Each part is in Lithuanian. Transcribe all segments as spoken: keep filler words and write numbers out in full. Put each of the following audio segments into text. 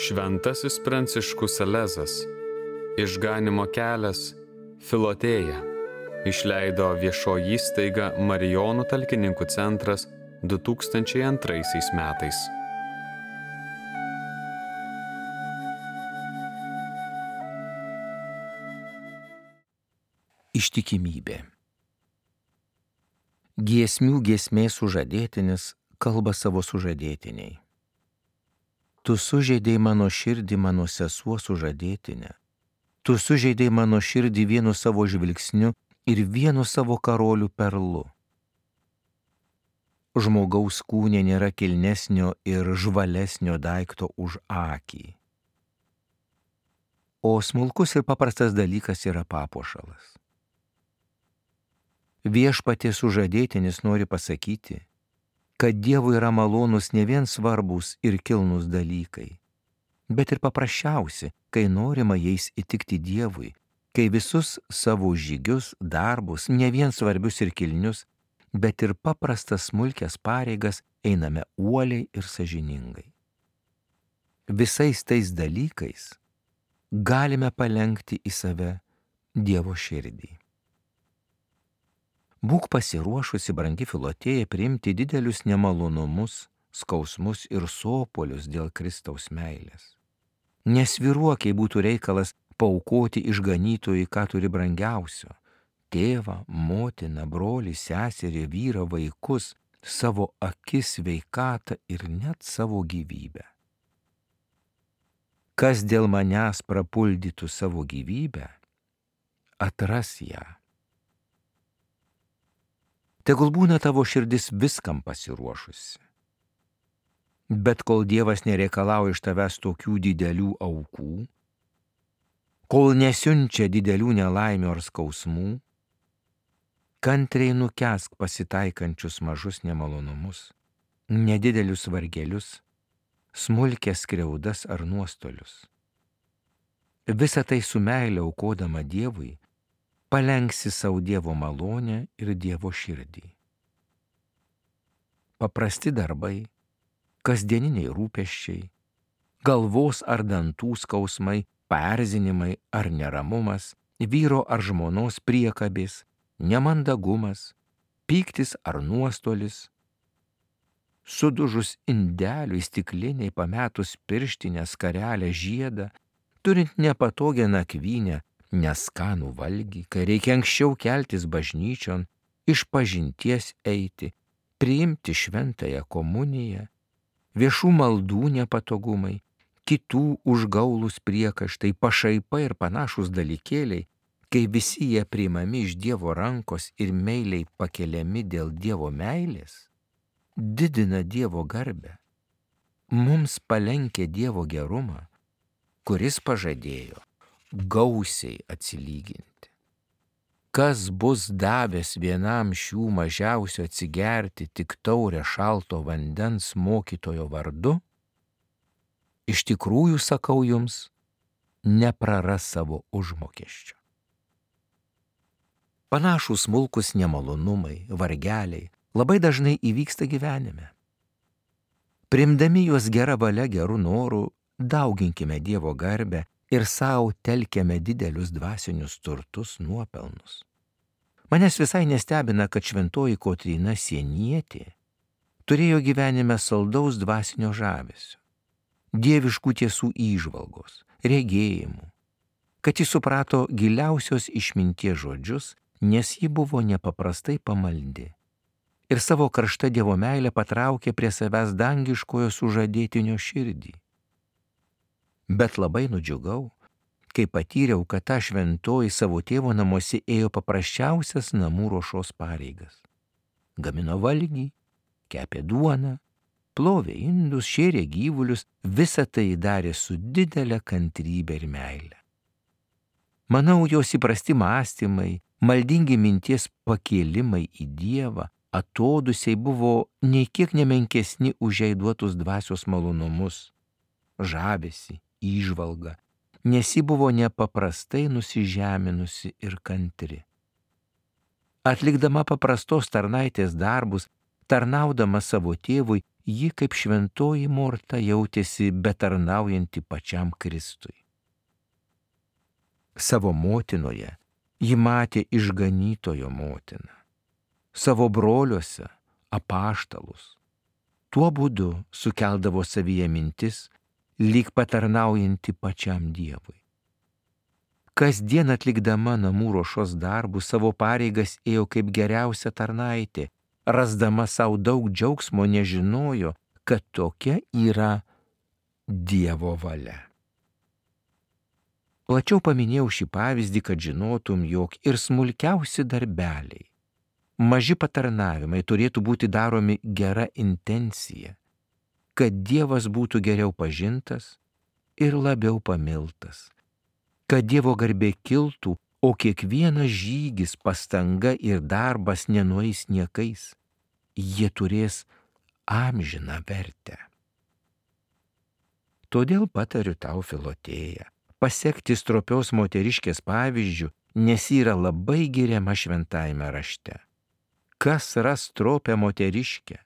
Šventasis Pranciškus Salezas, Išganymo kelias, Filotėja, išleido viešoji įstaiga Marijonų talkininkų centras du tūkstančiai antraisiais metais. Ištikimybė. Giesmių giesmės sužadėtinis kalba savo sužadėtiniai. Tu sužeidei mano širdį, mano sesuo sužadėtinė. Tu sužeidei mano širdį vienu savo žvilgsniu ir vienu savo karolių perlu. Žmogaus kūne nėra kilnesnio ir žvalesnio daikto už akį. O smulkus ir paprastas dalykas yra papuošalas. Viešpaties sužadėtinis nori pasakyti, kad Dievui yra malonus ne vien svarbus ir kilnus dalykai, bet ir paprasčiausi, kai norima jais įtikti Dievui, kai visus savo žygius, darbus, ne vien svarbius ir kilnius, bet ir paprastas smulkias pareigas einame uoliai ir sąžiningai. Visais tais dalykais galime palenkti į save Dievo širdį. Būk pasiruošusi, brangi Filotėja, priimti didelius nemalonumus, skausmus ir sopolius dėl Kristaus meilės. Nesvyruok, jei būtų reikalas paaukoti išganytojui, ką turi brangiausio – tėvą, motiną, brolį, seserį, vyrą, vaikus, savo akis, sveikatą ir net savo gyvybę. Kas dėl manęs prapuldytų savo gyvybę, atras ją. Tegul būna tavo širdis viskam pasiruošusi. Bet kol Dievas nereikalauja iš tavęs tokių didelių aukų, kol nesiunčia didelių nelaimių ar skausmų, kantriai nukęsk pasitaikančius mažus nemalonumus, nedidelius vargelius, smulkias skriaudas ar nuostolius. Visą tai su meile aukodama Dievui, palenksi savo Dievo malonę ir Dievo širdį. Paprasti darbai, kasdieniniai rūpesčiai, galvos ar dantų skausmai, paerzinimai ar neramumas, vyro ar žmonos priekabės, nemandagumas, pyktis ar nuostolis, sudužus indeliui stikliniai pametus pirštinę, skarelę, žiedą, turint nepatogią nakvynę, neskanų valgį, kai reikia anksčiau keltis bažnyčion, išpažinties eiti, priimti šventąją komuniją, viešų maldų nepatogumai, kitų užgaulus priekaištai, pašaipa ir panašūs dalykėliai, kai visi jie priimami iš Dievo rankos ir meiliai pakeliami dėl Dievo meilės, didina Dievo garbę, mums palenkia Dievo gerumą, kuris pažadėjo gausiai atsilyginti. Kas bus davęs vienam šių mažiausių atsigerti tik taurę šalto vandens mokytojo vardu, iš tikrųjų sakau jums, nepraras savo užmokesčio. Panašūs smulkus nemalonumai, vargeliai labai dažnai įvyksta gyvenime. Priimdami juos gerą valią, gerų norų, dauginkime Dievo garbę ir savo telkiame didelius dvasinius turtus, nuopelnus. Manęs visai nestebina, kad šventoji Kotryna Sienietė turėjo gyvenime saldaus dvasinio žavesio, dieviškų tiesų įžvalgos, regėjimų, kad ji suprato giliausios išminties žodžius, nes ji buvo nepaprastai pamaldi ir savo karšta Dievo meilę patraukė prie savęs dangiškojo sužadėtinio širdį. Bet labai nudžiugau, kai patyriau, kad ta šventoji savo tėvo namuose ėjo paprasčiausias namų ruošos pareigas. Gamino valgį, kepė duoną, plovė indus, šėrė gyvulius, visą tai darė su didelė kantrybė ir meile. Manau, jos įprasti mąstymai, maldingi minties pakėlimai į Dievą, atodusiai buvo nei kiek nemenkesni už jai duotus dvasios malonumus, žavesį, įžvalgą, nes ji buvo nepaprastai nusižeminusi ir kantri. Atlikdama paprastos tarnaitės darbus, tarnaudama savo tėvui, ji kaip šventoji Morta jautėsi betarnaujanti pačiam Kristui. Savo motinoje ji matė išganytojo motiną, savo broliuose apaštalus. Tuo būdu sukeldavo savyje mintis, lyg patarnaujanti pačiam Dievui. Kasdien atlikdama namų ruošos darbus savo pareigas ėjo kaip geriausia tarnaitė, rasdama savo daug džiaugsmo nežinojo, kad tokia yra Dievo valia. Plačiau paminėjau šį pavyzdį, kad žinotum, jog ir smulkiausi darbeliai, maži patarnavimai turėtų būti daromi gera intencija, kad Dievas būtų geriau pažintas ir labiau pamiltas, kad Dievo garbė kiltų, o kiekvienas žygis, pastanga ir darbas nenueis niekais, jie turės amžiną vertę. Todėl patariu tau, Filotėja, pasekti stropios moteriškės pavyzdžių, nes yra labai giriama šventajame rašte. Kas ras stropią moteriškę?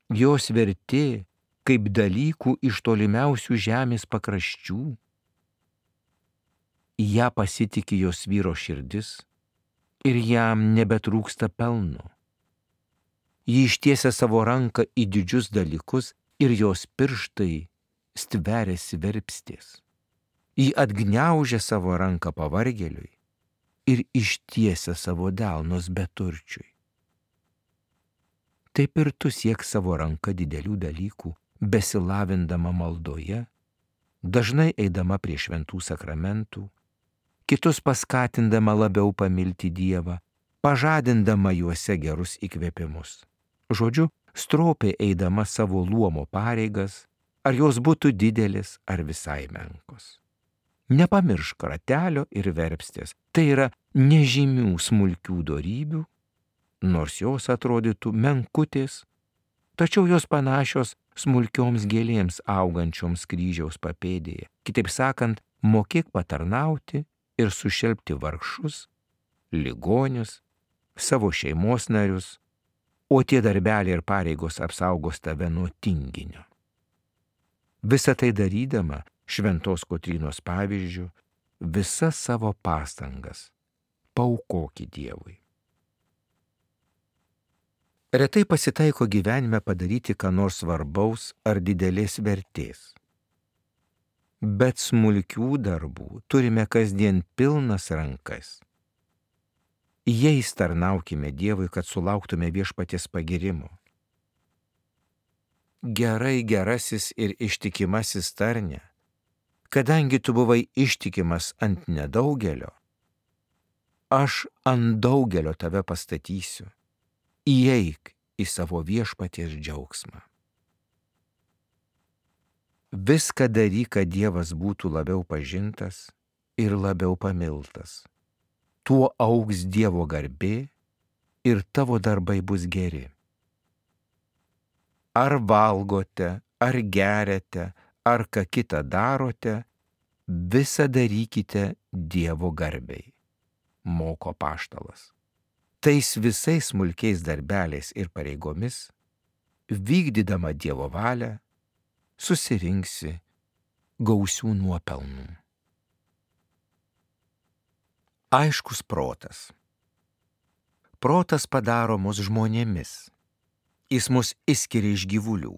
Jos vertė kaip dalykų iš tolimiausių žemės pakraščių. Į ją pasitiki jos vyro širdis ir jam nebetrūksta pelno. Ji ištiesia savo ranką į didžius dalykus ir jos pirštai stveriasi verpstės. Ji atgniaužia savo ranką pavargėliui ir ištiesia savo delnus beturčiui. Taip ir tu siek savo ranką didelių dalykų, besilavindama maldoje, dažnai eidama prie šventų sakramentų, kitus paskatindama labiau pamilti Dievą, pažadindama juose gerus įkvėpimus. Žodžiu, stropiai eidama savo luomo pareigas, ar jos būtų didelis ar visai menkos. Nepamiršk ratelio ir verpstės, tai yra nežymių smulkių dorybių, nors jos atrodytų menkutės, tačiau jos panašios smulkioms gėlėms augančioms kryžiaus papėdėje. Kitaip sakant, mokėk patarnauti ir sušelpti vargšus, ligonius, savo šeimos narius, o tie darbeliai ir pareigos apsaugos tave nuo tinginio. Visą tai darydama, šventos Kotrynos pavyzdžių, visas savo pastangas paaukok Dievui. Retai pasitaiko gyvenime padaryti ką nors svarbaus ar didelės vertės. Bet smulkių darbų turime kasdien pilnas rankas. Jais tarnaukime Dievui, kad sulauktume viešpaties pagirimo. Gerai, gerasis ir ištikimasis tarne, kadangi tu buvai ištikimas ant nedaugelio, aš ant daugelio tave pastatysiu. Įeik į savo viešpaties džiaugsmą. Viską daryk, kad Dievas būtų labiau pažintas ir labiau pamiltas. Tuo augs Dievo garbė ir tavo darbai bus geri. Ar valgote, ar geriate, ar ką kitą darote, visą darykite Dievo garbei, moko apaštalas. Tais visais smulkiais darbeliais ir pareigomis, vykdydama Dievo valią, susirinksi gausių nuopelnų. Aiškus protas. Protas padaro mus žmonėmis. Jis mus išskiria iš gyvulių.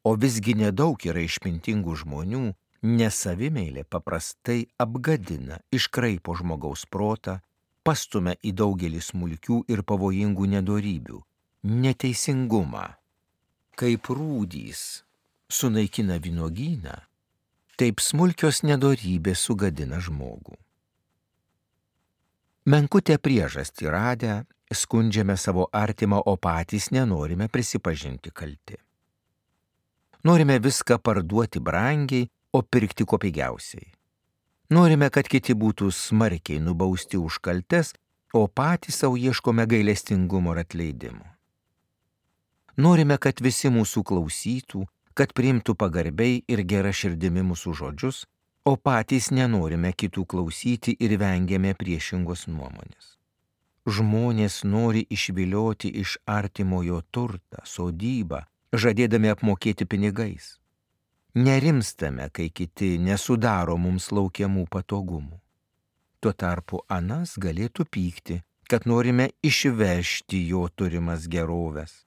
O visgi nedaug yra išmintingų žmonių, nes savimeilė paprastai apgadina, iškraipo žmogaus protą, pastumia į daugelį smulkių ir pavojingų nedorybių, neteisingumą. Kaip rūdys sunaikina vynuogyną, taip smulkios nedorybės sugadina žmogų. Menkutę priežastį radę, skundžiame savo artimą, o patys nenorime prisipažinti kalti. Norime viską parduoti brangiai, o pirkti kuo pigiausiai. Norime, kad kiti būtų smarkiai nubausti už kaltes, o patys savo ieškome gailestingumo ir atleidimo. Norime, kad visi mūsų klausytų, kad priimtų pagarbiai ir gera širdimi mūsų žodžius, o patys nenorime kitų klausyti ir vengiame priešingos nuomonės. Žmonės nori išvilioti iš artimojo turtą, sodybą, žadėdami apmokėti pinigais. Nerimstame, kai kiti nesudaro mums laukiamų patogumų. Tuo tarpu anas galėtų pykti, kad norime išvežti jo turimas geroves.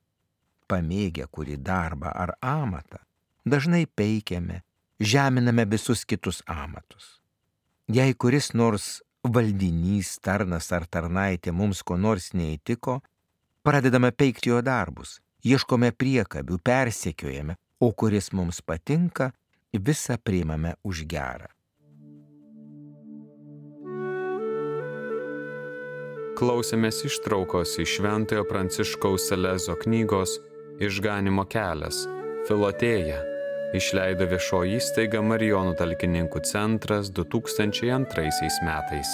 Pamėgę kurį darbą ar amatą, dažnai peikiame, žeminame visus kitus amatus. Jei kuris nors valdinys, tarnas ar tarnaitė mums ko nors neįtiko, pradedame peikti jo darbus, ieškome priekabių, persekiojame, o kuris mums patinka, visą priimame už gerą. Klausėmės ištraukos iš Šventojo Pranciškaus Salezo knygos Išganymo kelias, Filotėja, išleido viešoji įstaiga Marijonų talkininkų centras du tūkstančiai antraisiais metais.